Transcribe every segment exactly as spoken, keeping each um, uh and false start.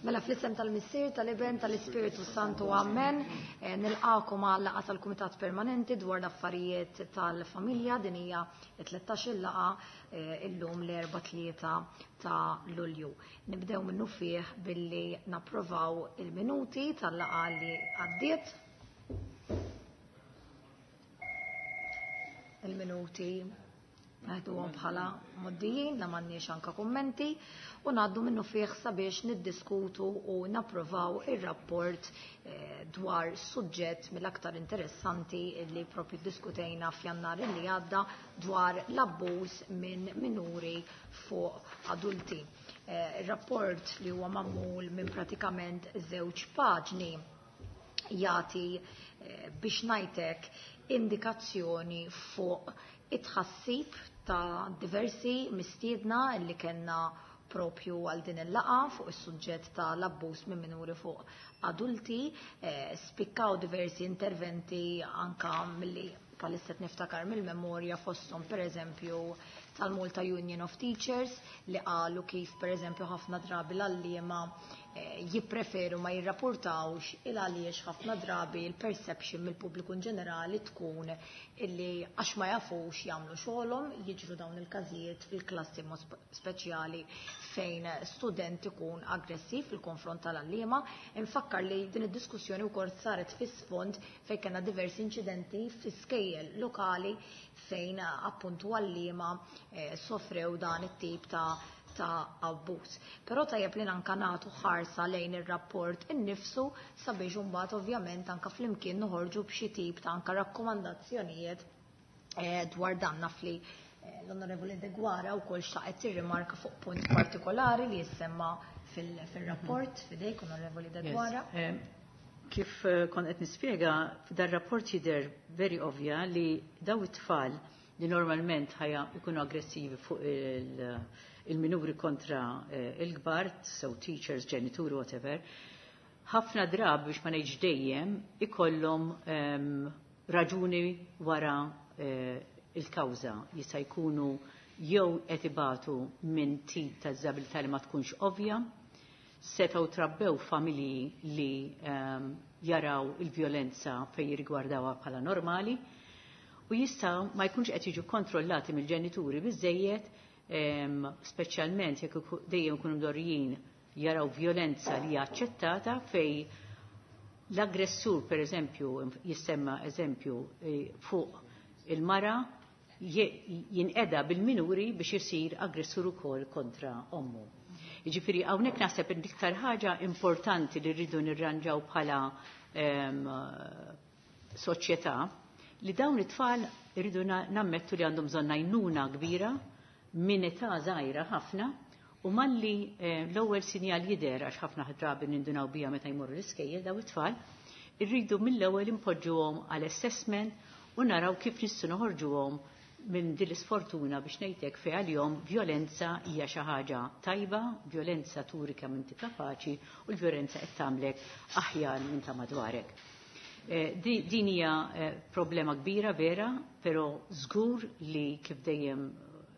Mela fl-isem tal-Missier, tal-Iben, tal-Ispiritu Santu, Amen. Eh, nilqakom għal laqgħa tal-Kumitat Permanenti dwar l-affarijiet tal-familja. Din hija tlettax-il laqgħa eh, illum l-erba' tlieta ta' Lulju. Nibdew minnu fih billi napprovaw il-minuti tal-laqgħa li għaddiet. Il-minuti naħduhom bħala moddijin, la m'għandniex anka kummenti, u ngħaddu minnu fih sabiex niddiskutu u napprovaw ir-rapport eh, dwar suġġett mill-aktar interessanti li propju diskutejna f'Jannar li għadda dwar l-abbuż minn minuri fuq adulti. Eh, ir-rapport li huwa magħmul minn pratikament żewġ paġni jagħti eh, biex ngħidlek indikazzjoni fuq it-tħassib ta' diversi mistiedna li kellna propju għal din il-laqa fuq is-suġġett ta' l-abbuż minn minuri fuq adulti. Eh, spikkaw diversi interventi anka milli palissa niftakar mill-memorja, fosthom per eżempju tal-Malta Union of Teachers li qalu kif per eżempju ħafna drabi l-għalliema eh, jippreferu ma jirrapportawx il għaliex ħafna drabi il-perception mill-pubbliku in ġenerali tkun illi għax ma jafux jagħmlu xogħolhom jiġru dawn il-każijiet fil-klassi mod speċjali fejn student ikun aggressiv fil-konfront tal-għalliema. Infakkar li din id-diskussjoni wkoll saret fis-sfond fejn kellna diversi inċidenti fl-iskejjel lokali fejn appuntu għalliema eh, sofrew dan it-tip ta' ta' abbuż. Però tajjeb li anka nagħtu ħarsa lejn ir-rapport innifsu sabiex imbagħad ovvjament anka flimkien noħorġu b'xi tip ta' anka rakkomandazzjonijiet eh, dwar dan. Naf li eh, l-Onorevoli Deguara wkoll xtaqet tirrimarka fuq punt partikolari li jissemma fil-rapport. Fidejk, Onorevoli Deguara. Kif kont qed nispjega, dar-rapport jidher very ovvja li daw it-tfal li normalment ħajja ikunu aggressivi fuq il-minuri kontra il-kbar, so teachers, ġenituri, whatever, ħafna drabi biex ma ngħidx dejjem ikollhom raġuni wara il-kawża. Jista' jkunu jew qed ibatu minn tip ta' diżabilità li ma tkunx ovvja, setgħu trabbew familji li um, jaraw il-vjolenza fejn jirrigwardawha bħala normali, u jistgħu ma jkunx qed jiġu kontrollati mill-ġenituri biżejjed, um, speċjalment jekk dejjem ikunu mdorrijin jaraw vjolenza li hija aċċettata fej l-aggressur, per eżempju, jissemma eżempju fuq il-mara jinqeda bil-minuri biex isir aggressur ukoll kontra ommu. Jiġifieri hawnhekk naħseb l-iktar ħaġa importanti li rridu nirranġaw bħala soċjetà li dawn it-tfal irridu nammettu li għandhom bżonn għajnuna kbira minn età żgħira ħafna, u malli l-ewwel sinjal jidher, għax ħafna drabi nindunaw bija meta jmorru l-iskejjel daw it-tfal, irridu mill-ewwel impoġġuhom għal assessment u naraw kif nistgħu noħorġuhom minn din l-isfortuna biex ngħidlek fejn għalihom vjolenza hija xi ħaġa tajba, vjolenza turi kemm inti kapaċi u l-vjolenza qed tagħmlek aħjar minn ta' madwarek. Din hija problema kbira vera, però żgur li kif dejjem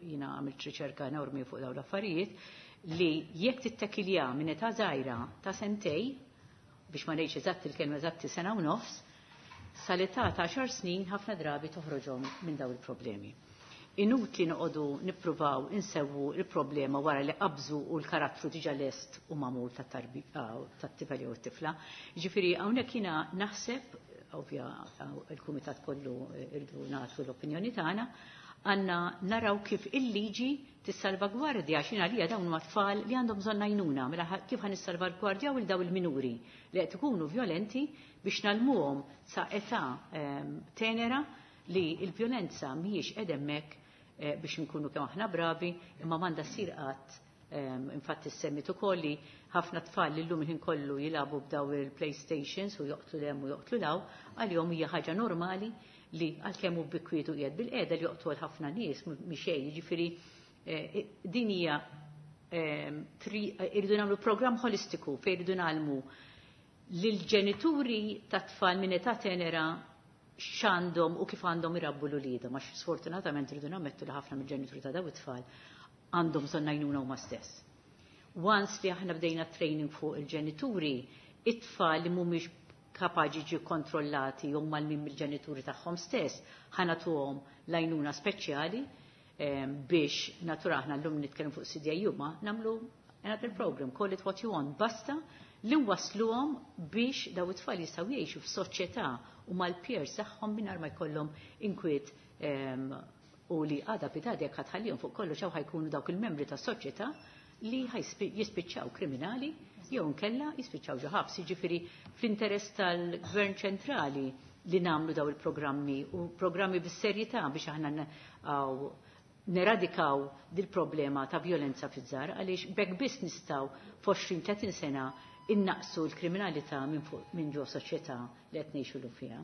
jiena għamilt riċerka enormi fuq dawn l-affarijiet, li jekk tittakilja minn età żgħira ta' sentej, biex ma ngħidx eżatt il-kelma eżatti sena u nofs, sal-età ta' għaxar snin ħafna drabi toħroġhom minn dawn il-problemi. Inutli noqogħdu nippruvaw insewwu il-problema wara li qabżu u l-karattru diġà lest u magħmul tat-tifel jew it-tifla. Jiġifieri hawnhekk jiena naħseb, ovvja il-kumitat kollu irdu nagħtu l-opinjoni tagħna, għandna naraw kif il-liġi tissalvagwardja għax għalija dawn huma tfal li għandhom bżonn għajnuna, mela kif ħa nissalvagwardjaw il daw il-minuri li qed ikunu vjolenti biex nalmuhom sa età tenera li l-vjolenza mhijiex qed hemmhekk biex nkunu kemm aħna bravi, imma m'għandha ssir qatt. Infatti semmit ukoll li ħafna tfal li llum il-ħin kollu jilagħbu b'daw il-PlayStations u joqtlu lem u joqtlu law, għalihom hija ħaġa normali li għalkemm hu bikwietu qiegħed bil-qiegħda li joqtol ħafna nies mhix xejn, jiġifieri din hija irridu nagħmlu programm holistiku fejn irridu nagħmlu lill-ġenituri ta' tfal minn età tenera x'għandhom u kif għandhom irabbu l-uliedhom, għax sfortunatament irridu nammettu li ħafna mill-ġenituri ta' dawn it-tfal għandhom bżonn għajnuna huma stess. Once li aħna bdejna training fuq il-ġenituri, it-tfal li mhumiex kapaċi ġi kontrollati jew mal-min mill-ġenituri tagħhom stess, ħa nagħtuhom l-għajnuna speċjali biex natura aħna llum nitkellmu fuq C D I U, ma nagħmlu another program, call it what you want, basta li wasluhom biex daw it-tfal jistgħu jgħixu f'soċjetà u mal-peers tagħhom mingħajr ma jkollhom inkwiet u li għada pitgħada jekk ħa tħallihom fuq kollox hawn ħa jkunu dawk il-membri tas-soċjetà li jispiċċaw kriminali jew nkella jispiċċaw ġo ħabs. Jiġifieri fl-interess tal-Gvern ċentrali li nagħmlu daw il-programmi u programmi bis-serjetà biex aħna neradikaw dil-problema ta' violenza fiż-żgħar, għaliex b'hekk biss nistgħu f'għoxrin tletin sena innaqsu l-kriminalità minn fuq minn ġo soċjetà li qed ngħixu fiha.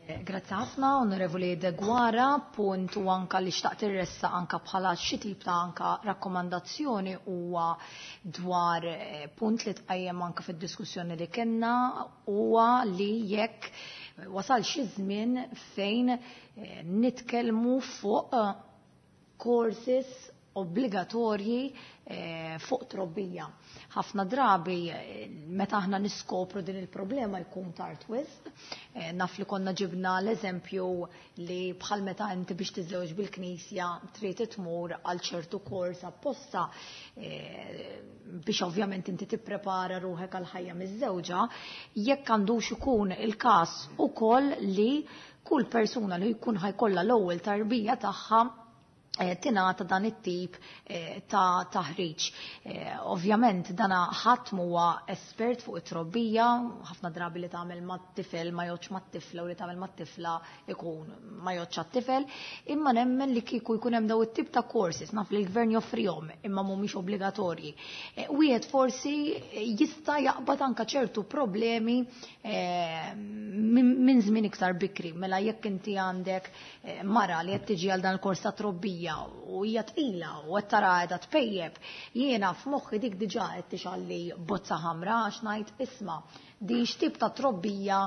Eh, grazzi ħafna, Onorevoli Deguara, punt u anka li xtaqt irressa anka bħala xi tip ta' anka rakkomandazzjoni huwa dwar eh, punt li tqajjem anka fid-diskussjoni li kellna, huwa li jekk wasal xi żmien fejn eh, nitkellmu fuq courses obbligatorji eh, fuq trobbija. Ħafna drabi eh, meta aħna niskopru din il-problema jkun tard wisq. Eh, naf li konna ġibna l-eżempju li bħal meta inti biex tiżewġ bil-knisja trid tmur għal ċertu kors apposta biex ovvjament inti tipprepara ruħek għal ħajja miż-żewġa, jekk għandux ikun il-każ ukoll li kull persuna li jkun ħa jkollha l-ewwel tarbija tagħha Eh, tingħata dan it-tip eh, ta' taħriġ. Eh, ovvjament dana ħadd huwa espert fuq it-trobbija, ħafna drabi li tagħmel mat-tifel ma jgħoddx mat-tifla u li tagħmel mat-tifla ikun ma jgħoddx għat-tifel, imma nemmen li kieku jkun hemm daw it-tip ta' courses, naf li l-gvern joffrihom imma mhumiex obbligatorji. Wieħed forsi jista' jaqbad anka ċertu problemi minn żmien iktar bikri, mela jekk inti għandek mara li qed tiġi għal dan il-kors ta' trobbija u hija tqila u qed tara qiegħda tpejjeb, jiena f'moħħi dik diġà qed tixgħelli bozza ħamra għax ngħid, isma', din x'tip ta' trobbija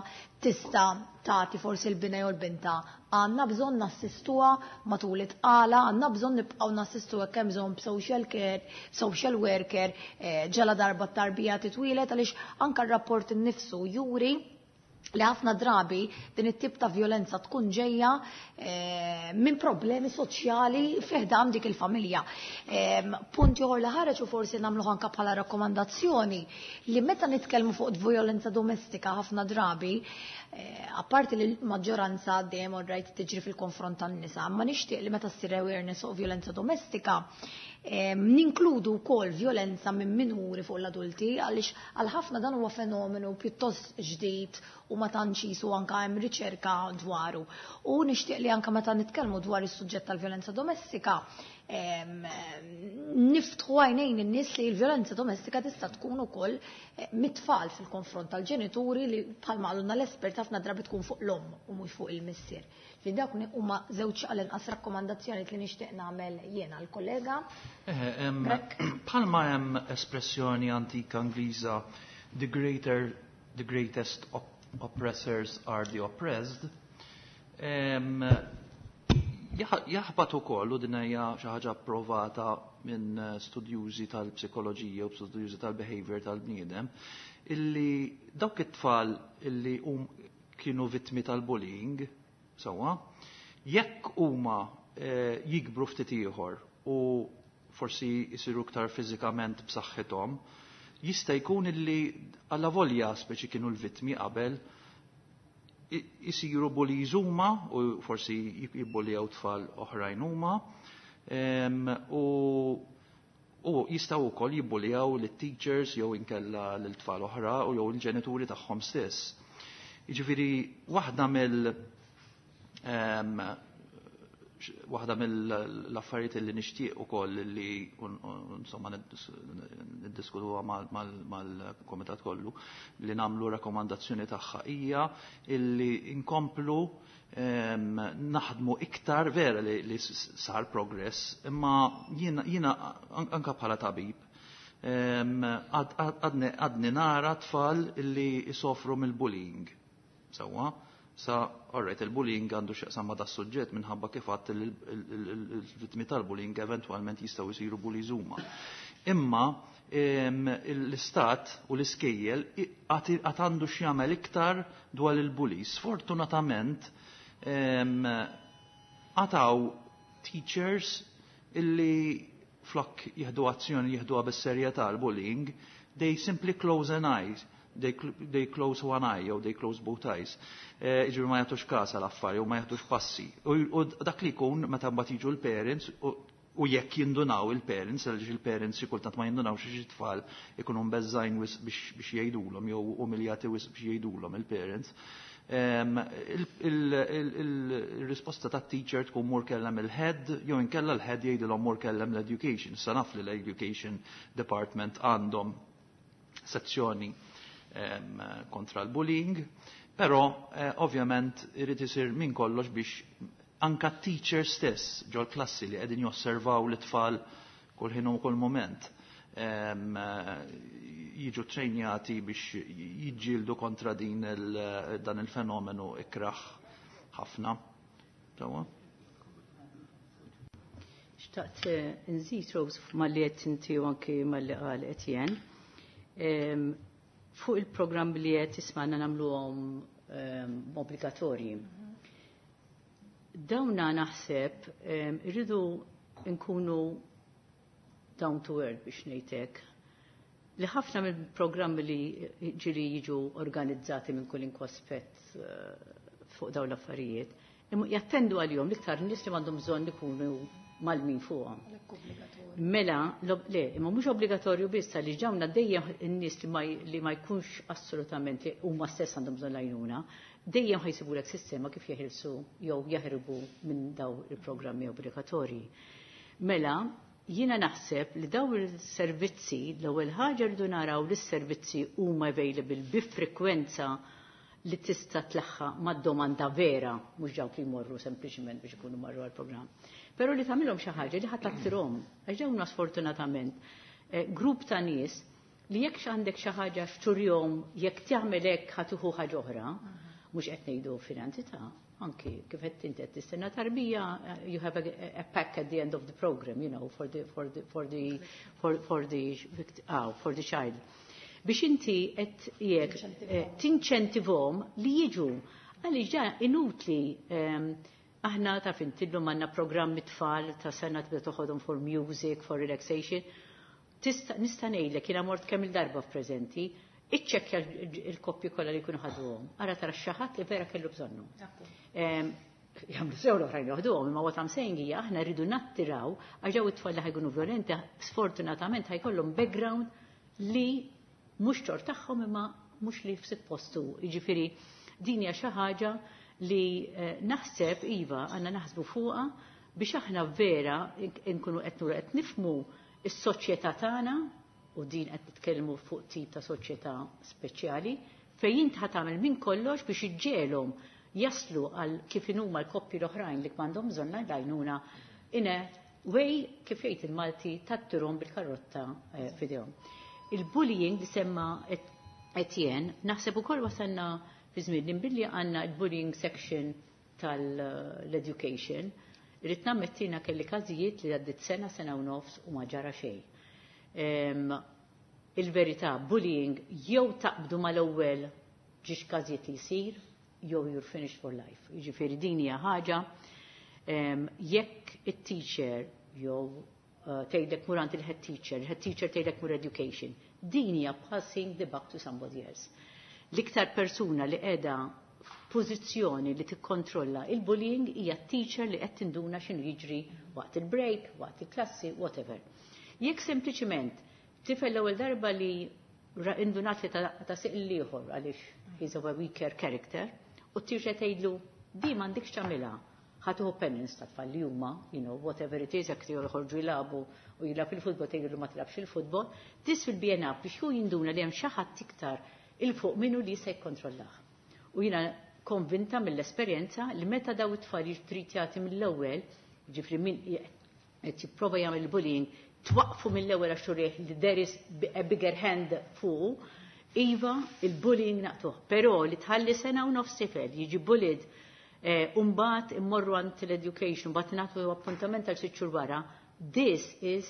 tista' tagħti forsi l-bina jew l-binta? Għandna bżonn nassistuha matul it-tqala, għandna bżonn nibqgħu nassistuha kemm bżonn b'social care, social worker, eh, ġala darba t-tarbija titwieled, għaliex anka r-rapport innifsu juri li ħafna drabi din it-tip ta' violenza tkun ġejja eh, minn problemi soċjali fi ħdan dik il-familja. Eh, punt ieħor li ħareġ u forsi nagħmlu anka bħala rakkomandazzjoni li meta nitkellmu fuq violenza domestika, ħafna drabi, eh, apparti li l-maġġoranza dejjem rajt tiġri fil-konfront tan-nisa, ma nixtieq li meta ssir awareness fuq violenza domestika ninkludu wkoll violenza minn minuri fuq l-adulti, għaliex għal ħafna dan huwa fenomenu pjuttost ġdid u ma tantx jisu anka hemm riċerka dwaru. U nixtieq li anka meta nitkellmu dwar is-suġġett tal-violenza domestika niftħu għajnejn in-nies li l-violenza domestika tista' tkun ukoll eh, mit-tfal fil-konfront tal-ġenituri, li bħalma qalulna l-espert ħafna drabi tkun fuq l-omm u mhux fuq il-missier. Fi dawk huma żewġ għall-inqas rakkomandazzjoni li nixtieq nagħmel jiena l-kollega. Bħalma hemm espressjoni antika Ingliża, "the greater the greatest oppressors are the oppressed", jaħbat ukoll, u din hija xi ħaġa approvata minn studjużi tal-psikoloġija u studjużi tal-behavior tal-bniedem, illi dawk it-tfal illi um kienu vittmi tal-bullying, sewwa, jekk huma eh, jikbru ftit ieħor u forsi jisiru iktar fiżikament b'saħħithom, jista' jkun illi alla volja speċi kienu l-vittmi qabel, jisiru bullies huma u forsi jibbuljaw tfal oħrajn huma u u jistgħu wkoll jibbuljaw lit-teachers jew inkella l-tfal oħra u jew il-ġenituri tagħhom stess. Jiġifieri waħda mill waħda mill-affarijiet li nixtieq ukoll li insomma niddiskutuha mal-komitat kollu li nagħmlu rakkomandazzjoni tagħha hija illi inkomplu naħdmu iktar. Vera li, li sar progress, imma jiena anka bħala tabib għadni nara tfal illi jisofru mill-bullying. Sewwa? Sa, alright, il-bullying għandu x'jaqsam ma' das-suġġett minħabba kif għadt il-vittmi tal-bullying eventualment jistgħu jsiru bullies huma. Imma l-istat u l-iskejjel għad għandu x'jagħmel iktar dwar il-bullies. Sfortunatament għataw teachers illi flok jieħdu azzjoni jieħduha bis-serjetà l-bullying, they simply close an eye. They, they close one eye jew they close both eyes. Jiġifieri ma jagħtux kas għal affari u ma jagħtux passi. U dak li jkun meta mbagħad jiġu l-parents u jekk jindunaw il-parents, għaliex il-parents xi kultant ma jindunaw xi tfal ikunu mbeżżgħin biex jgħidulhom jew umiljati wisq biex jgħidulhom il-parents. Il-risposta ta' teacher tkun mur kellem il-head, jew inkella l-head jgħidilhom mur kellem l-education. Sa naf li l-education department għandhom sezzjoni kontra l-bullying, però ovvjament irid isir minn kollox biex anka teacher stess ġol klassi li qegħdin josservaw l-tfal kull ħin u kull moment jiġu trejnjati biex jiġġieldu kontra din il, dan il-fenomenu ikraħ ħafna. Tawa? Xtaqt nżid, Rose, malli qed inti u anki malli qal Etienne. Fuq il-programm li qed tisma'na nagħmluhom obbligatorji. Dawna naħseb irridu nkunu down to earth biex ngħidlek li ħafna mill-programmi li ġiri jiġu organizzati minn kull aspett fuq dawn l-affarijiet, jattendu għalihom l-iktar nies li għandhom bżonn ikunu mal-min fuqhom. Mela, le, imma mhux obbligatorju biss li ġawna dejjem in-nies li ma jkunx assolutament li huma stess għandhom bżonn l-għajnuna, dejjem ħa jsibulek sistema kif jeħilsu jew jaħirbu minn daw il-programmi obbligatorji. Mela, jiena naħseb li daw il-servizzi, l-ewwel ħaġa rridu naraw li s-servizzi huma available bi frekwenza li tista' tlaħħaq mad-domanda vera, mhux dawk li jmorru sempliċiment biex ikunu marru għall-programm. Però li tagħmilhom xi ħaġa li ħadd tattirhom, għax dawn sfortunatament grupp ta' nies li jekk għandek xi ħaġa x'turjom jekk tagħmel hekk ħa tieħu ħaġa oħra, mhux qed ngħidu finanzi ta' anki kif qed inti qed tistenna tarbija, you have a, a pack at the end of the program, you know, for the for the for the for, for the oh, for the child. Biex inti qed jekk tinċentivhom li jiġu għaliex ġa inutli aħna taf intillu għandna programmi tfal ta' sena tibda toħodhom for music, for relaxation. Tista' nista' ngħidlek jiena mort kemm il-darba f'preżenti, iċċekkja il-koppji kollha li jkunu ħaduhom. Ara tara xi ħadd li vera kellu bżonnu. Jagħmlu sew l-oħrajn joħduhom, imma what I'm saying hija aħna rridu nattiraw għax daw it-tfal li ħa jkunu violenti sfortunatament ħa jkollhom background li mhux tort tagħhom imma mhux li f'sit postu. Jiġifieri din hija xi ħaġa li naħseb iva għandna naħsbu fuqha biex aħna vera nkunu qed nuru qed nifhmu is-soċjetà tagħna u din qed nitkellmu fuq tip ta' soċjetà speċjali fejn int ħa tagħmel minn kollox biex iġġiegħelhom jaslu għal kif inhuma l-koppji l-oħrajn li għandhom bżonn l-għajnuna in a way kif jgħid il-Malti tattirhom bil-karrotta f'idejhom. Il-bullying li semma Etienne, naħseb ukoll wasalna fi żmien li billi għandna il-bullying section tal-education, irrid nammettina kelli każijiet li għaddit sena, sena u nofs u ma ġara xejn. Il-verità, bullying jew taqbdu mal-ewwel ġiex każijiet li jsir, jew you're finished for life. Jiġifieri din hija ħaġa jekk it-teacher jew tgħidlek mur għand il-head teacher, il-head teacher tgħidlek mur education. Din hija passing the buck to somebody else. L-iktar persuna li qiegħda f'pożizzjoni li tikkontrolla il-bullying hija teacher li qed tinduna x'inhu jiġri waqt il-break, waqt il-klassi, whatever. Jekk sempliċiment tifel l-ewwel darba li indunat li ta' siq l-ieħor għaliex he's of a weaker character, u t-teacher tgħidlu di m'għandekx tagħmilha, ħa tieħu penance ta' tfal li huma, you know, whatever it is, jekk joħorġu jilagħbu u jilgħab il-futbol tgħidlu ma tilgħabx il-futbol, this will be enough biex hu jinduna li hemm xi ħadd iktar 'il fuq minnu li se jikkontrollah. U jiena konvinta mill-esperjenza li meta daw it-tfal jiġu mill-ewwel, ġifri min qed jipprova jagħmel bullying, twaqfu mill-ewwel għax turih li there is a bigger hand fuq, iva il-bullying naqtuh. Però li tħalli sena u nofs tifel jiġi bullied u mbagħad immorru għand l-education, mbagħad nagħtu appuntament għal sitt xhur wara, this is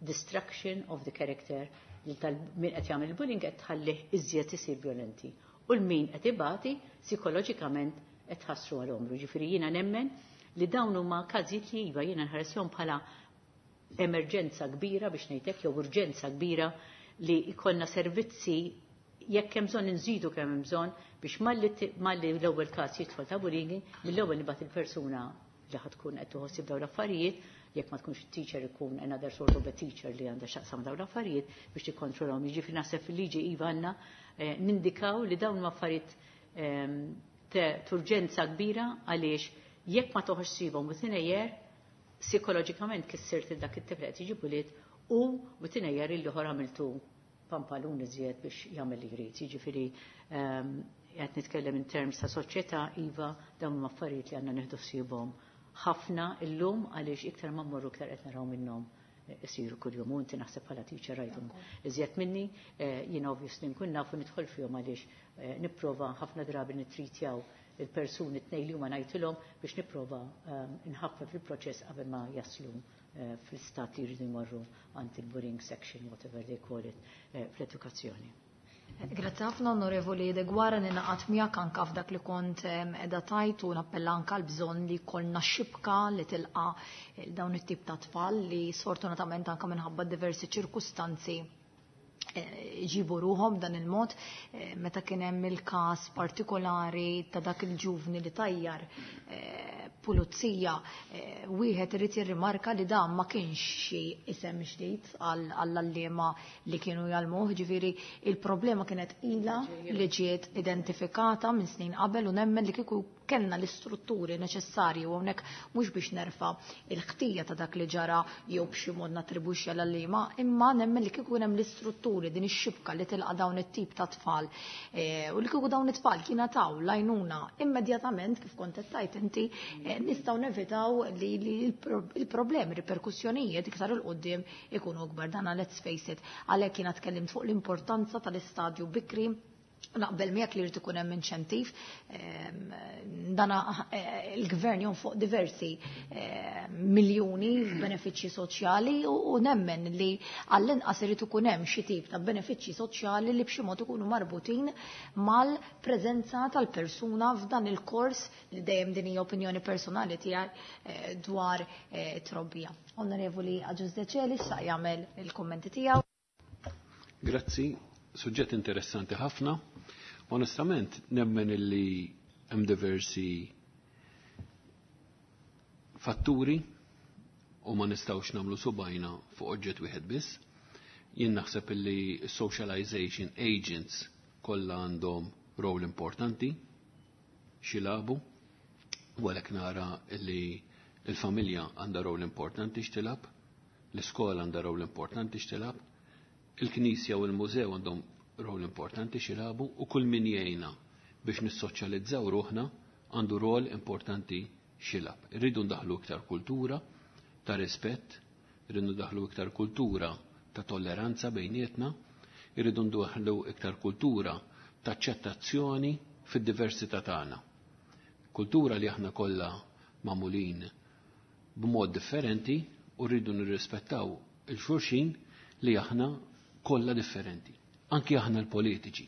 destruction of the character li tal-min qed jagħmel bullying qed tħallih iżjed isir violenti. U l-min qed ibati psikoloġikament qed tħassru għal għomru. Ġifieri jiena nemmen li dawn huma każijiet li iva jiena nħaresihom bħala emerġenza kbira biex ngħidlek jew urġenza kbira li jkollna servizzi jekk hemm bżonn inżidu kemm hemm bżonn biex malli malli l-ewwel każ jidħol ta' bullying, mill-ewwel nibgħat il-persuna li ħad tkun qed tħossib dawn l-affarijiet, jekk ma tkunx teacher ikun another sort of a teacher li għandha x'taqsam dawn l-affarijiet biex tikkontrollhom. Jiġifieri naħseb fil-liġi iva għandna eh, nindikaw li dawn huma affarijiet ehm, ta' urġenza kbira għaliex jekk ma toħroġ within a year, psikoloġikament kissirt dak it-tifel qed jiġi bullied u within a year il-ieħor għamiltu pampalun iżjed biex jagħmel li jrid. Jiġifieri ehm, qed nitkellem in terms ta' soċjetà iva dawn huma affarijiet li għandna nieħdu ħsiebhom ħafna illum għaliex iktar ma mmorru iktar qed naraw minnhom isiru kuljum u inti naħseb bħala teacher rajthom iżjed minni, eh, jiena obviously nkun nafu nidħol fihom għaliex eh, nipprova ħafna drabi nitritjaw il-persuni tnej li huma ngħidilhom biex nipprova ehm, nħaffef il-proċess qabel ma jaslu eh, fl-istat li jridu jmorru għand il-bullying section, whatever they call it, fl-edukazzjoni. Grazzi ħafna, Onorevoli Deguara, ninaqat miegħek anka f'dak li kont qiegħda tajt u nappella anka l-bżonn li jkollna xibka li tilqa dawn it-tip ta' tfal li sfortunatament anka minħabba diversi ċirkustanzi eh, ġibu ruħom dan il-mod. eh, meta kien hemm il-każ partikolari ta' dak il-ġuvni li tajjar eh, pulizija, wieħed irid jirrimarka li dan ma kienx xi isem ġdid għall-għalliema li kienu jgħallmuh, ġifieri il-problema kienet ila li ġiet identifikata minn snin qabel u nemmen li kieku kellna l-istrutturi neċessarji, u hawnhekk mhux biex nerfa il-ħtija ta' dak li ġara jew b'xi mod nattribwixxi għall-għalliema, imma nemmen li kieku hemm l-istrutturi, din ix-xibka li tilqa' dawn it-tip ta' tfal eh, u li kieku dawn it-tfal jingħataw l-għajnuna immedjatament kif kont qed tgħid inti, eh, nistgħu nevitaw li il-problemi, riperkussjonijiet iktar 'il quddiem ikunu akbar. Dana let's face it, għalhekk jiena tkellimt fuq l-importanza tal-istadju bikri. Naqbel miegħek li jrid ikun hemm inċentiv. Ehm, dana eh, il-gvern jonfoq diversi eh, miljuni f'benefiċċji soċjali u nemmen li għall-inqas irid ikun hemm xi tip ta' benefiċċji soċjali li b'xi mod ikunu marbutin mal-preżenza tal-persuna f'dan il-kors li dejjem din hija opinjoni personali tiegħi eh, dwar trobbija. Onorevoli Agius Decelis sa jagħmel il-kummenti tiegħu. Grazzi, suġġett interessanti ħafna. Onestament, nemmen illi hemm diversi fatturi u ma nistgħux nagħmlu subgħajna fuq oġġett wieħed biss. Jien naħseb illi socialization agents kollha għandhom rol importanti x'jilagħbu, u għalhekk nara illi il-familja għandha rol importanti x'tilgħab, l-iskola għandha rol importanti x'tilgħab, il-knisja u l-mużew għandhom rol importanti x'jilagħbu u kull min jgħinna biex nissoċjalizzaw ruħna għandu rol importanti x'jilgħab. Irridu ndaħlu iktar kultura ta' rispett, irridu ndaħlu iktar kultura ta' tolleranza bejnietna, irridu ndaħlu iktar kultura ta' aċċettazzjoni fid-diversità tagħna. Kultura li aħna kollha magħmulin b'mod differenti u rridu nirrispettaw il-xulxin li aħna kollha differenti. Anki aħna l-politiċi.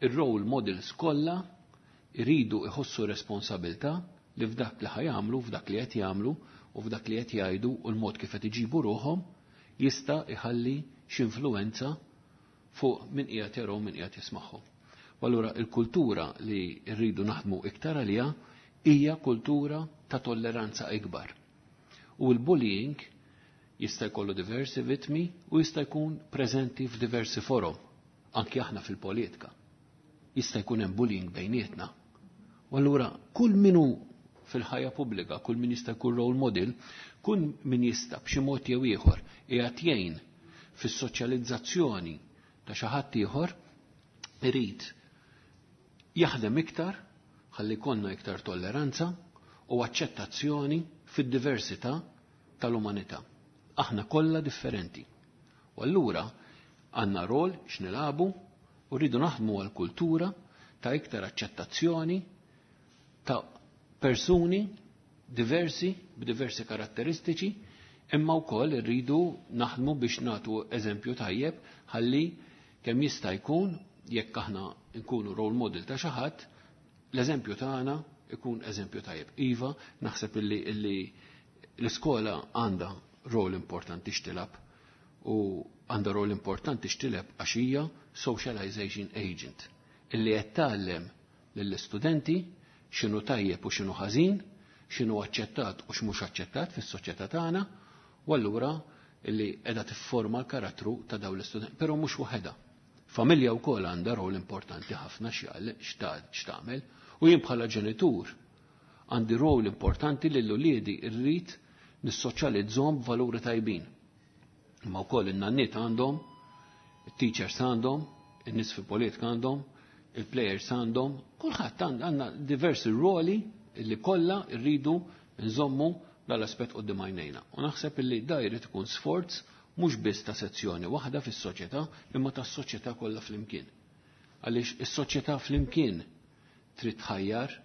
Ir-role models kollha iridu iħossu responsabilità li f'dak li ħa jagħmlu, f'dak li qed jagħmlu u f'dak li qed jgħidu u l-mod kif qed iġibu ruħhom jista' iħalli x'influwenza fuq min qiegħed jarahom, min qiegħed jismagħhom. U allura il-kultura li rridu naħdmu iktar għaliha hija kultura ta' tolleranza ikbar. U l-bullying jista' jkollu diversi vittmi u jista' jkun preżenti f'diversi forom, anki aħna fil-politika. Jista' jkun hemm bullying bejnietna. U allura kull min hu fil-ħajja pubblika, kull min jista' jkun role model, kull min jista' b'xi mod jew ieħor qiegħed jgħin fis-soċjalizzazzjoni ta' xi ħadd ieħor irid jaħdem iktar ħalli jkollna iktar tolleranza u aċċettazzjoni fid-diversità tal-umanità. Aħna kollha differenti. U allura għandna rol x'nilagħbu u rridu naħdmu għal kultura ta' iktar aċċettazzjoni ta' persuni diversi b'diversi karatteristiċi Imma wkoll irridu naħdmu biex nagħtu eżempju tajjeb ħalli kemm jista' jkun jekk aħna nkunu role model ta' xi ħadd, l-eżempju tagħna ikun eżempju tajjeb. Iva, naħseb illi, illi l-iskola għandha rol importanti x'tilgħab u għandha rol importanti x'tilgħab għax hija socialization agent illi qed tgħallem lill-istudenti x'inhu tajjeb u x'inhu ħażin, x'inhu aċċettat u x'mhux aċċettat fis-soċjetà tagħna, u allura illi qiegħda tifforma l-karattru ta' dawn l-istudenti, però mhux waħedha. Familja wkoll għandha rol importanti ħafna x'tagħmel, u jien bħala ġenitur għandi rol importanti lil uliedi rrid nissoċjalizzhom b'valuri tajbin. Imma wkoll in-nanniet għandhom, it-teachers għandhom, in-nies fil-politika għandhom, il-players għandhom, kulħadd għandna diversi ruoli li kollha rridu nżommu dal-aspett quddiem għajnejna. U naħseb illi da jrid ikun sforz mhux biss ta' sezzjoni waħda fis-soċjetà, imma tas-soċjetà kollha flimkien. Għaliex is-soċjetà flimkien trid tħajjar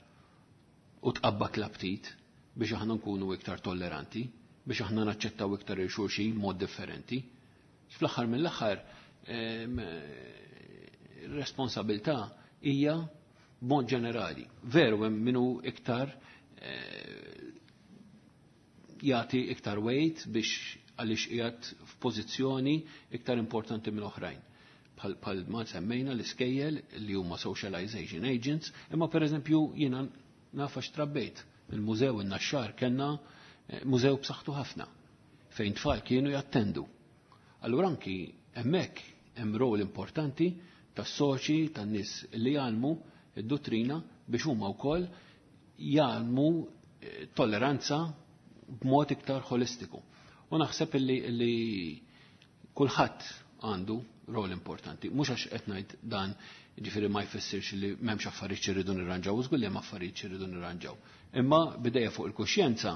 u tqabbad l-aptit biex aħna nkunu iktar tolleranti, biex aħna naċċettaw iktar il-xulxin mod differenti. Fl-aħħar mill-aħħar responsabilità hija b'mod ġenerali. Veru hemm minu iktar jagħti iktar weight biex għaliex qiegħed f'pożizzjoni iktar importanti minn oħrajn. Bħal ma semmejna l-iskejjel li huma socialization agents, imma pereżempju jiena naf għax trabbejt. Il-mużew in-Naxxar kellna mużew b'saħħtu ħafna fejn tfal kienu jattendu. Allura anki hemmhekk hemm rol importanti tas-soċi, tan-nies li jgħallmu id-dottrina biex huma wkoll jgħallmu tolleranza b'mod iktar holistiku. U naħseb illi, illi kulħadd għandu rol importanti. Mhux għax qed ngħid dan, ġifieri ma jfissirx li m'hemmx affarijiet irridu nirranġaw, u żgur li hemm affarijiet irridu nirranġaw. Imma bidejja fuq il-kuxjenza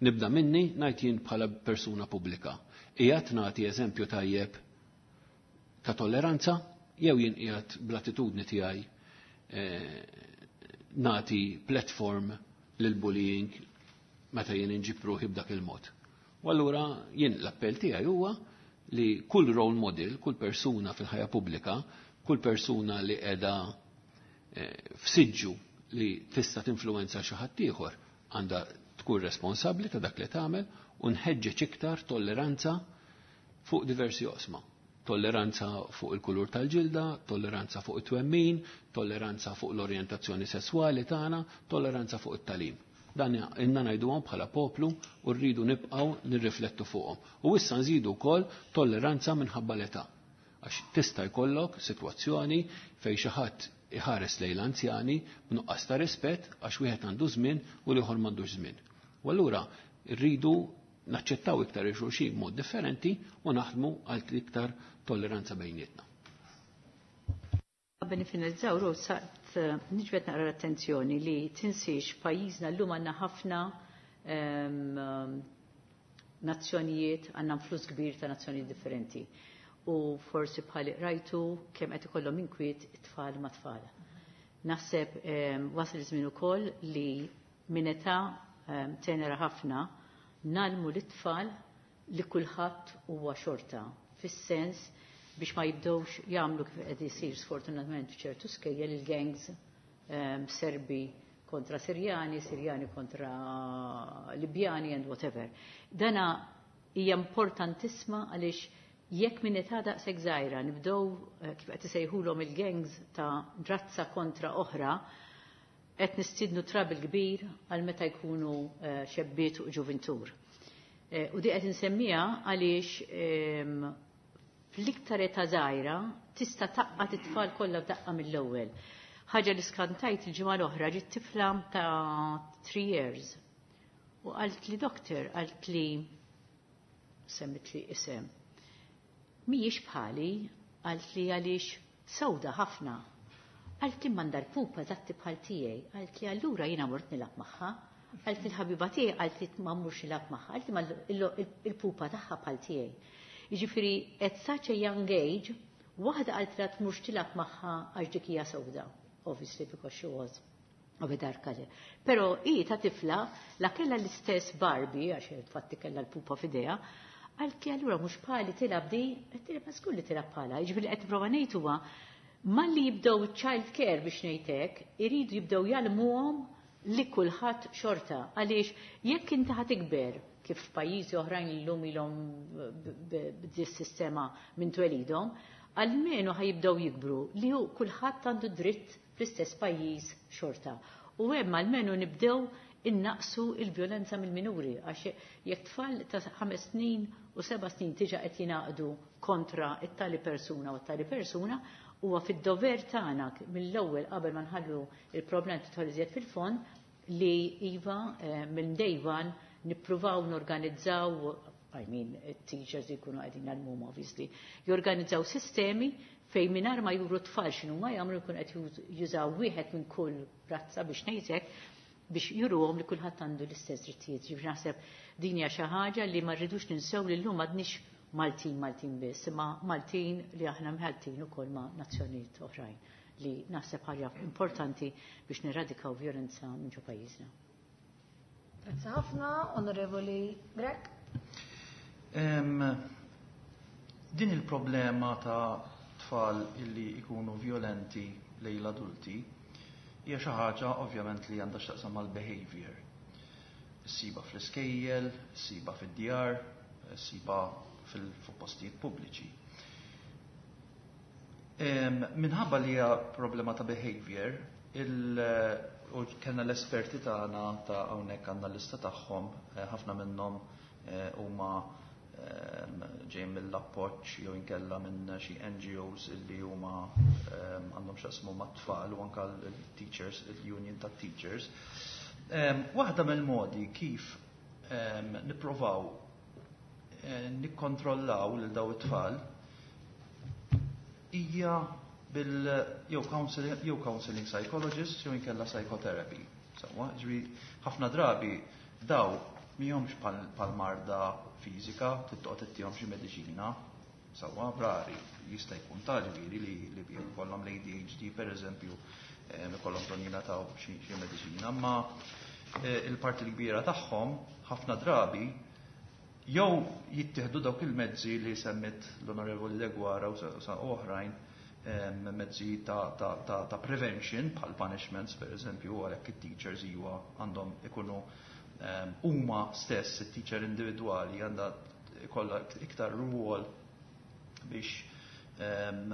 nibda minni ngħid jien bħala persuna pubblika. Qiegħed nagħti eżempju tajjeb ta' tolleranza jew jien qiegħed bl-attitudni tiegħi nagħti platform lil bullying meta jien inġib ruħi b'dak il-mod. U allura jien l-appell tiegħi huwa li kull role model, kull persuna fil-ħajja pubblika, kull persuna li qiegħda f'siġġu li tista' tinfluwenza xi ħadd ieħor għandha tkun responsabbli ta' dak li tagħmel u nħeġġeġ iktar tolleranza fuq diversi oqsma. Tolleranza fuq il-kulur tal-ġilda, tolleranza fuq it-twemmin, tolleranza fuq l-orjentazzjoni sesswali tagħna, tolleranza fuq it-talim. Dan inna ngħiduhom bħala poplu u rridu nibqgħu nirriflettu fuqhom. U issa nżidu wkoll tolleranza minħabba l-età. Għax tista' jkollok sitwazzjoni fejn xi ħadd iħares lejn l-anzjani b'nuqqas ta' rispett għax wieħed għandu żmien u l-ieħor m'għandux żmien. U allura rridu naċċettaw iktar il-xulxin b'mod differenti u naħdmu għal iktar tolleranza bejnietna. Qabel nifinalizzaw, Rose, saqt niġbed naqra l-attenzjoni li tinsiex pajjiżna llum għandna ħafna nazzjonijiet, għandna flus kbir ta' nazzjonijiet differenti. U forsi bħal rajtu kemm qed ikollhom inkwiet it-tfal ma' tfal. Naħseb wasal iż-żmien ukoll li minn età tenera ħafna nalmu l-tfal li kulħadd huwa xorta, fis-sens biex ma jibdewx jagħmlu kif qed isir sfortunatament f'ċertu skejjel il-gangs um, Serbi kontra Sirjani, Sirjani kontra Libjani and whatever. Dana hija importantissima għaliex jekk minn età daqshekk żgħira nibdew kif qed isejħulhom il-gangs ta' razza kontra oħra, qed nistidnu trabil kbir għal meta jkunu xebbiet u ġuvintur. U di qed insemmiha għaliex fl-iktar età żgħira tista' taqqa' it-tfal kollha f'daqqa mill-ewwel. Ħaġa li skantajt il-ġimgħa l-oħra ġiet tifla ta' three years. U qalt li doktor, qalt li semmit li isem. Mhijiex bħali, qalt li għaliex sewda ħafna. Qalt li m'għandha l-pupa eżatti bħal tiegħi, qalt li allura jiena mort nilgħab magħha. Qalt li l-ħabiba tiegħi qalt li ma mmurx nilgħab magħha, qalt li il-pupa tagħha bħal tiegħi. Jiġifieri at such a young age, waħda qalt li tmurx tilgħab magħha għax dik hija sewda, obviously because she was U bidarka le. Però hi ta' tifla la kellha l-istess Barbie, għax infatti kellha l-pupa f'idejha, għalki allura mhux bħali tilgħab di, qed ma żgur li tilgħab bħala. Jiġifieri qed nipprova ngħid huwa malli jibdew child care biex ngħidlek, iridu jibdew jgħallmuhom li kulħadd xorta. Għaliex jekk inti ħa tikber kif f'pajjiżi oħrajn illum ilhom b'dis sistema minn twelidhom, almenu ħa jibdew jikbru li hu kulħadd għandu dritt fl-istess pajjiż xorta. U hemm almenu nibdew innaqsu il-vjolenza mill-minuri, għax jekk tfal ta' ħames snin u seba' snin diġà qed jingħaqdu kontra it-tali persuna u t-tali persuna, huwa fid-dover tagħna mill-ewwel qabel ma nħallu il-problem tidħol iżjed fil-fond li iva eh, minn day one nippruvaw norganizzaw, I mean, teachers jkunu qegħdin għal obviously, jorganizzaw sistemi fejn mingħajr ma juru tfal x'inhu ma jagħmlu jkun qed jużaw wieħed minn kull razza biex ngħidlek biex juruhom li kulħadd għandu l-istess drittijiet. Ġifieri naħseb din hija xi ħaġa li ma rridux ninsew li llum m'għadniex Maltin Maltin biss, imma Maltin li aħna mħalltin ukoll ma' nazzjonijiet oħrajn li naħseb ħaġa importanti biex niradikaw vjolenza minn ġo pajjiżna. Grazzi ħafna, Onorevoli Grech. Em, din il-problema ta' tfal illi ikunu violenti lejn l-adulti hija xi ħaġa ovvjament li għandha x'taqsam mal-behavior. Ssiba fl-iskejjel, ssiba fid-djar, ssiba fil-postijiet pubbliċi. Em, Minħabba li hija problema ta' behavior, il, u kellna l-esperti tagħna ta' hawnhekk għandna l-lista tagħhom, eh, ħafna minnhom eh, huma em, ġejjin mill-appoġġ jew inkella minn xi N G Os illi huma em, għandhom x'jaqsmu mat-tfal u anke l-teachers, il-union tat-teachers. Em, Waħda mill-modi kif em, nipprovaw eh, nikkontrollaw lil daw it-tfal hija bil jew counseling, jew counseling psychologist jew inkella psychotherapy. Sewwa, ġifieri ħafna drabi daw mihomx pal marda fiżika, tittoqgħod ittihom xi mediċina. Sewwa, rari jista' jkun ta' ġifieri li li jkollhom l-A D H D pereżempju, eh, ikollhom bżonn jingħataw xi xi mediċina, imma eh, il-parti l-kbira tagħhom ħafna drabi jew jittieħdu dawk il-mezzi li semmit l-Onorevoli Deguara u sa oħrajn, em, mezzi ta', ta, ta, ta prevention bħal punishments per eżempju, għalhekk it-teachers iwa għandhom ikunu em, huma stess, it-teacher individwali għandha ikollha iktar rwol biex em,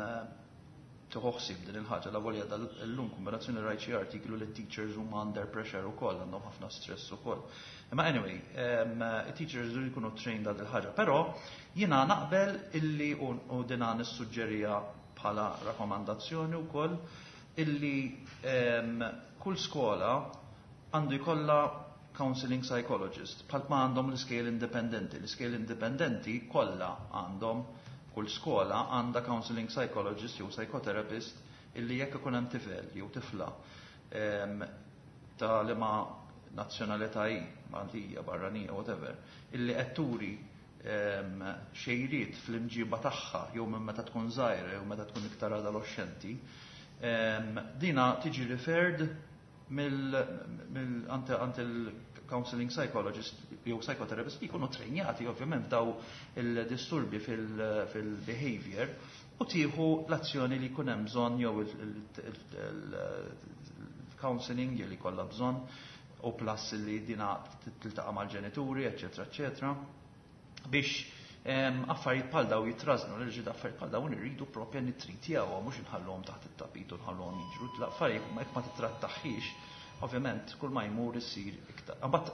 tħossib din il-ħaġa la volja dal-lum kombinazzjoni rajt xi artiklu li teachers huma under pressure ukoll, għandhom ħafna stress ukoll. Imma anyway, um, teachers jridu jkunu trained għal il-ħaġa, però jiena naqbel illi u, u dina nissuġġerija bħala rakkomandazzjoni wkoll illi um, kull skola għandu jkollha counseling psychologist, bħal ma għandhom l-iskejjel indipendenti. L-iskejjel indipendenti kollha għandhom, kull skola għandha counseling psychologist jew psychotherapist illi jekk ikun hemm tifel jew tifla em, ta' liema nazzjonalità hi, Maltija, barranija, whatever, illi qed turi em, xejriet fl-imġiba tagħha jew minn meta tkun żgħira jew meta tkun iktar adolescenti, em, dina tiġi referred mill mill ante ante il-counseling psychologist jew psychotherapist li jkunu trejnjati ovvjament daw il-disturbi fil-behavior u tieħu l-azzjoni li jkun hemm bżonn jew il-counseling li kollha bżonn u plus li dina tiltaqa' mal-ġenituri, eċetera, eċetera, biex em, affarijiet bħal daw jitrażnu, l ġid affarijiet bħal dawn irridu propja nittritjawhom, mhux inħalluhom taħt it-tapit u nħalluhom jiġru. L-affarijiet ma jekk ma titrattaħħix, ovvjament kull ma jmur issir iktar. Imbagħad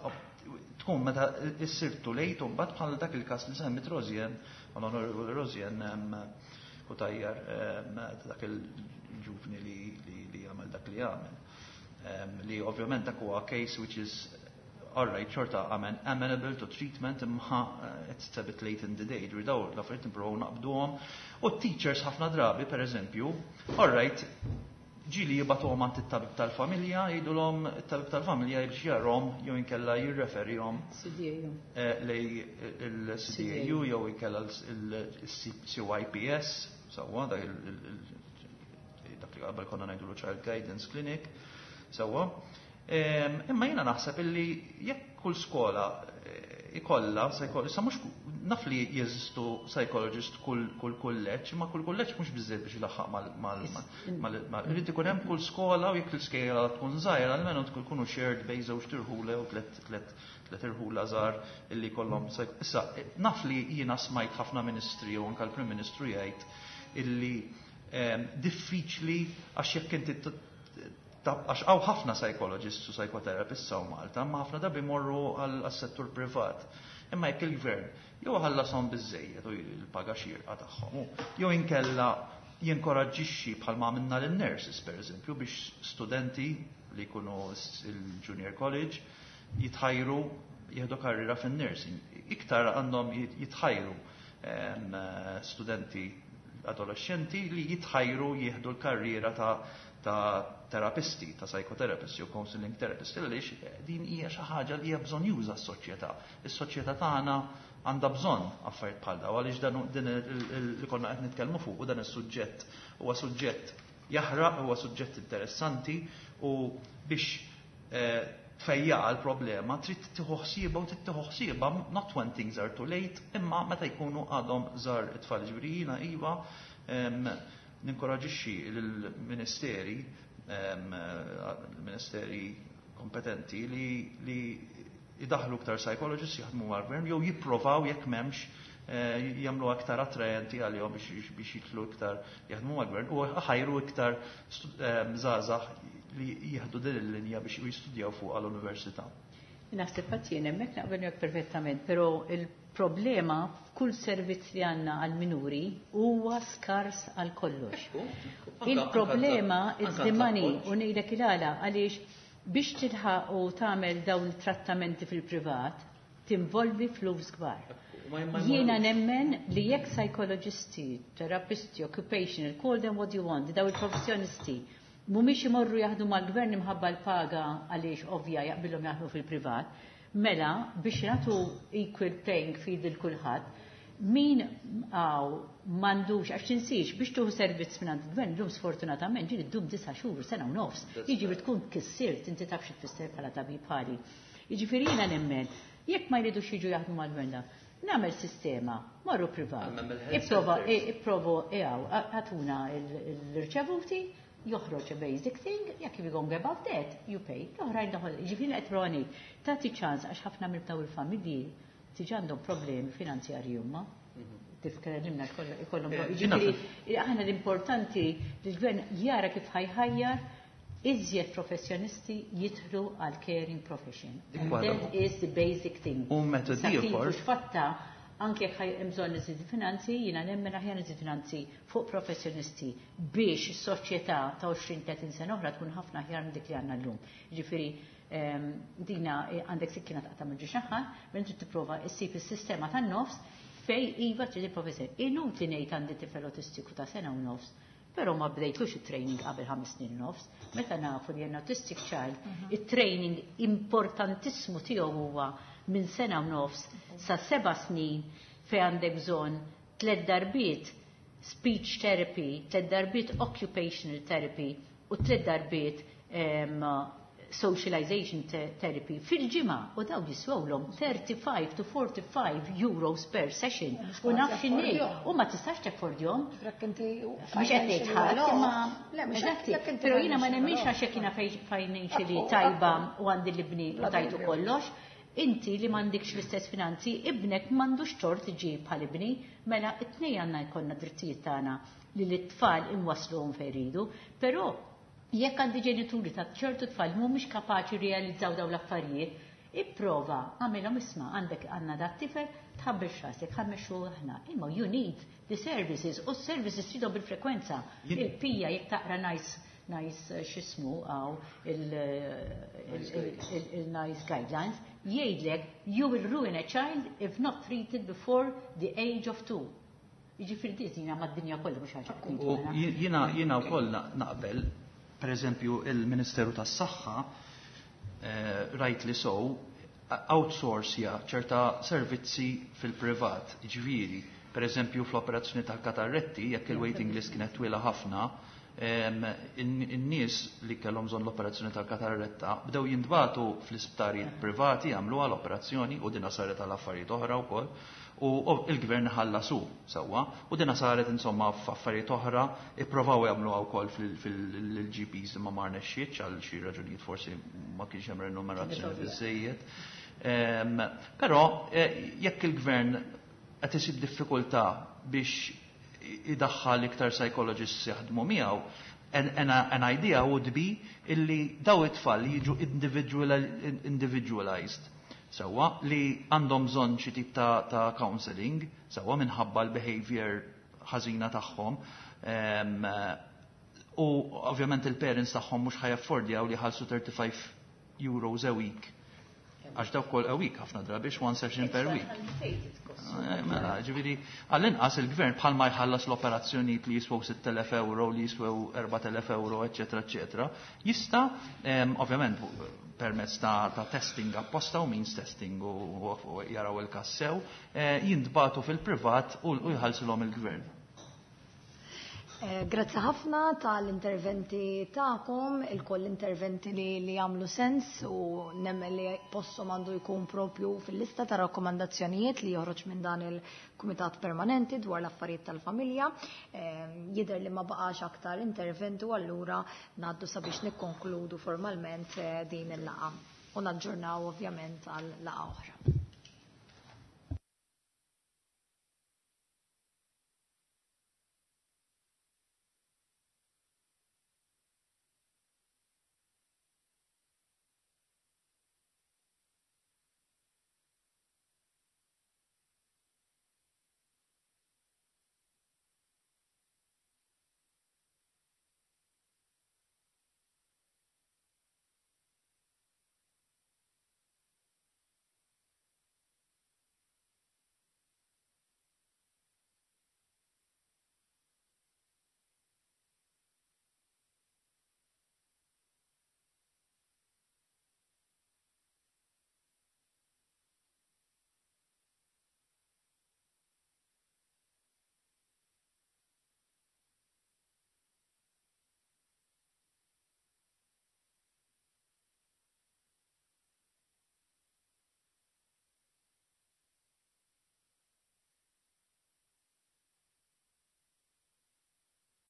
tkun meta issir too late u mbagħad bħal dak il-każ li semmit Rosianne, l-Onorevoli Rosianne u tajjar dak il-ġuvni li li għamel dak li għamel. Li ovvjament dak huwa case which is alright, xorta amen, amenable to treatment, imma uh, it's a bit late in the day, ġifieri daw l-affarijiet nipprovaw naqbduhom. U teachers ħafna drabi, per eżempju, alright, ġieli jibagħtuhom għand it-tabib tal-familja, jgħidulhom it-tabib tal-familja biex jarahom jew inkella jirreferihom C D A U. eh, lej il-C D A U jew inkella il-C Y P S, sewwa, dak il- il- dak li qabel konna ngħidulu Child Guidance Clinic, sewwa. Imma jiena naħseb illi jekk kull skola ikollha, issa mhux naf li jeżistu psychologist kull kull kulleġġ, imma kull kulleġġ mhux biżżejjed biex ilaħħaq mal mal irid ikun hemm kull skola u jekk l-iskejla tkun żgħira almenu tkunu shared bejn żewġ irħula jew tliet tliet tliet irħula żgħar illi jkollhom. Issa naf li jiena smajt ħafna ministri u anke l-Prim Ministru jgħid illi diffiċli għax jekk inti għax hawn ħafna psychologists u psychotherapists hawn Malta, ma ħafna drabi morru għal-settur privat. Imma jekk il-gvern jew ħallasom biżejjed u l-paga xierqa tagħhom, jew inkella jinkoraġġixxi bħalma għamilna lin-nurses pereżempju biex studenti li jkunu il-junior college jitħajru jieħdu karriera fin-nursing. Iktar għandhom jitħajru studenti adolescenti li jitħajru jieħdu l-karriera ta' ta' terapisti, ta' psychotherapisti u counseling therapisti, għaliex din hija xi ħaġa li hija bżonn juża s-soċjetà. Is-soċjetà tagħna għandha bżonn affarijiet bħal dawn, għaliex dan din li konna qed nitkellmu fuq u dan is-suġġett huwa suġġett jaħraq, huwa suġġett interessanti u biex tfejjaq l-problema trid tieħu ħsiebha u trid tieħu ħsiebha not when things are too late, imma meta jkunu għadhom żgħar it-tfal. Ġifieri jiena iva ninkoraġixxi lill-ministeri l-ministeri kompetenti li li idaħlu iktar psychologists jaħdmu mal-gvern jew jipprovaw jekk m'hemmx jagħmlu aktar attrajenti għalihom biex biex jidħlu iktar jaħdmu mal-gvern u ħajru iktar żgħażagħ li jieħdu din il-linja biex jistudjaw fuq għall-università. Naħseb jien hemmhekk naqbel miegħek perfettament, però il-problema f'kull servizz li għandna għal-minuri huwa skars għal kollox. Il-problema is the money u ngħidlek il-għala għaliex biex tilħaq u tagħmel dawn it-trattamenti fil-privat tinvolvi flus kbar. Jiena nemmen li jekk psychologisti, terapisti, occupational, call them what you want, daw il-professjonisti, mhumiex imorru jaħdmu mal-gvern imħabba l-paga għaliex ovvja jaqbilhom jaħdmu fil-privat, mela biex nagħtu equal playing field lil kulħadd, min għaw m'għandux, għax tinsiex biex tuħu servizz minn għand il-gvern, llum sfortunatament ġieli ddum disa' xhur, sena u nofs, jiġifieri tkun kissirt, inti taf xi tfisser bħala tabib bħali. Jiġifieri jiena nemmen, jekk ma jridux jiġu jaħdmu mal-gvern da, nagħmel sistema, morru privat. Ipprova, ipprovu eħaw, għatuna l-irċevuti, joħroġ a basic thing, jekk you go above that, you pay. L-oħrajn daħol, ġifieri qed proni, tagħti ċans għax ħafna minn daw il-familji diġà għandhom problemi finanzjarji huma. Tifkellimna ikollhom ġifieri aħna l-importanti li l-gvern jara kif ħajħajjar iżjed professjonisti jidħlu għal caring profession. And that is the basic thing. U metodi ieħor. Fatta anke jekk hemm bżonn iżid finanzi, jiena nemmen aħjar iżid finanzi fuq professjonisti biex is-soċjetà ta' għoxrin tletin sena oħra tkun ħafna aħjar minn dik li għandna llum. Ġifieri dina għandek sikkina taqta' minn ġiex naħa, minn trid tipprova issib is-sistema tan-nofs fej iva trid il-professjoni. Inutli ngħid għandi tifel autistiku ta' sena u nofs, però ma bdejtux it-training qabel ħames snin nofs, meta nafu li autistic child, it-training importantissimu tiegħu huwa minn sena u nofs sa seba' snin fej għandek bżonn tliet darbiet speech therapy, tliet darbiet occupational therapy u tliet darbiet socialization therapy fil-ġimgħa u daw jiswewlhom thirty-five to forty-five euros per session. U naf x'inhi, u ma tistax taffordjhom. Mhux qed ngħid ħadd, imma però jiena ma nemminx għax jekk jiena financially tajba u għandi l-ibni u tajtu kollox, inti li m'għandikx l-istess finanzi, ibnek m'għandux tort iġib bħal ibni, mela it-tnejn għandna jkollna drittijiet tagħna li l-tfal inwasluhom fejn jridu, però jekk għandi ġenituri ta' ċertu tfal mhumiex kapaċi realizzaw dawn l-affarijiet, ipprova għamilhom isma' għandek għandna dat tifel tħabbel x'rasek, ħammexxu aħna. Imma you need the services u s-services tridhom bil-frekwenza. Il-pija jekk taqra nice nice x'ismu għaw il-nice guidelines, jgħidlek you will ruin a child if not treated before the age of two. Jiġifieri din mad-dinja kollha mhux ħaġa. Jiena jiena wkoll naqbel, per eżempju, il-Ministeru tas-Saħħa, rightly so, outsourcja ċerta servizzi fil-privat, ġifieri, per eżempju, fl-operazzjoni tal-katarretti, jekk il-waiting list kienet twila ħafna, In-nies li kellhom bżonn l-operazzjoni tal-katarretta bdew jintbagħtu fl-isptarijiet privati jagħmluha l-operazzjoni, u dina saret għal affarijiet oħra wkoll, u il-gvern ħallasu sewwa, u dina saret insomma f'affarijiet oħra, ippruvaw jagħmluha wkoll fil-G Ps imma ma rnexxietx għal xi raġunijiet, forsi ma kienx hemm renumerazzjoni biżejjed. Però eh, jekk il-gvern qed isib diffikultà biex idaħħal iktar psychologists jaħdmu miegħu, an, an, an idea would be illi daw it-tfal jiġu individualized sewwa, li għandhom bżonn xi tip ta', ta counseling sewwa minħabba l-behavior ħażina tagħhom. Um, u ovvjament il-parents tagħhom mhux ħa jaffordjaw li jħallsu thirty-five euros a week, għax dawk kol a week ħafna drabi, one session per week. Eh, mela, ġifieri, għall-inqas il-gvern bħalma jħallas l-operazzjonijiet li jiswew sitt elef euro, li jiswew erbat elef euro, eccetera, eccetera, jista, ovvjament, permezz ta', ta testing apposta u means testing u, u jaraw il-każ sew, eh, jintbagħtu fil-privat u, u jħallsilhom il-gvern. Eh, grazzi ħafna tal-interventi tagħkom, il-koll interventi li, li jagħmlu sens u nemmen li posthom għandu jkun propju fil-lista ta' rakkomandazzjonijiet li joħroġ minn dan il-Kumitat Permanenti dwar l-affarijiet tal-familja. Eh, jidher li ma baqax aktar interventi u allura ngħaddu sabiex nikkonkludu formalment eh, din il-laqgħa u naġġornaw ovvjament għal laqgħa oħra.